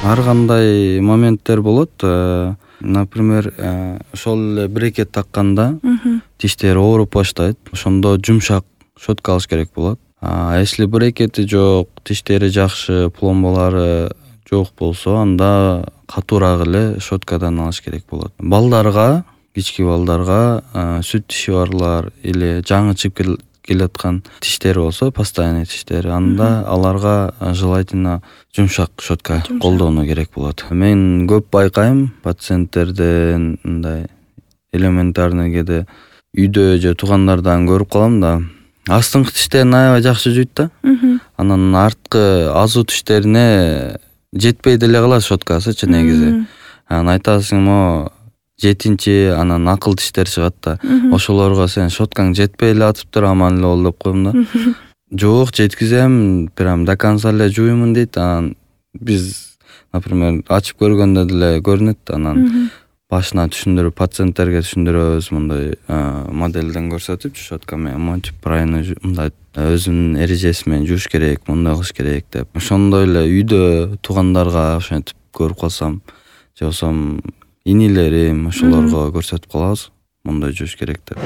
Ар кандай моменттер болот. Например, ошол эле брекет такканда тиштер ооруп баштайт. Ошондо жумшак щетка алыш керек болот. Если брекети жок, тиштери жакшы, пломбалары жок болсо, анда катуураак эле щеткадан алыш керек болот. Балдарга, кички балдарга, сүт тиши барлар или жаңы чыгып келаткан тиштер болсо, постоянный тиштер, анда аларга желательно жумшак щетка колдонуу керек болот. Мен көп байкайм пациенттерден мындай элементарный кээде үйдө же туугандардан көрүп калам да. Астыңкы тиштерин аябай жакшы жуйт да. Анан арткы азуу тиштерине жетпей деле калат щеткасычы негизи. Анан айтасың, 7-чи анан акыл тиштер чыгат да. Ошолорго сен щеткаң жетпей эле атыптыр, аман эле бол деп коем да. Жок, жеткизем, прям до конца эле жуймун дейт. Анан биз, например, ачып көргөндө деле көрүнөт. Анан башына түшүндүрүп, пациенттерге түшүндүрөбүз мындай моделден көрсөтүп, щетка менен монтип правильно мындай өзүнүн эрежеси менен жууш керек, мындай кылыш керек деп. Ошондой эле үйдө туугандарга ошентип көрүп калсам, же болбосо инилерим ошолорго көрсөтүп калабыз, мындай жууш керек деп.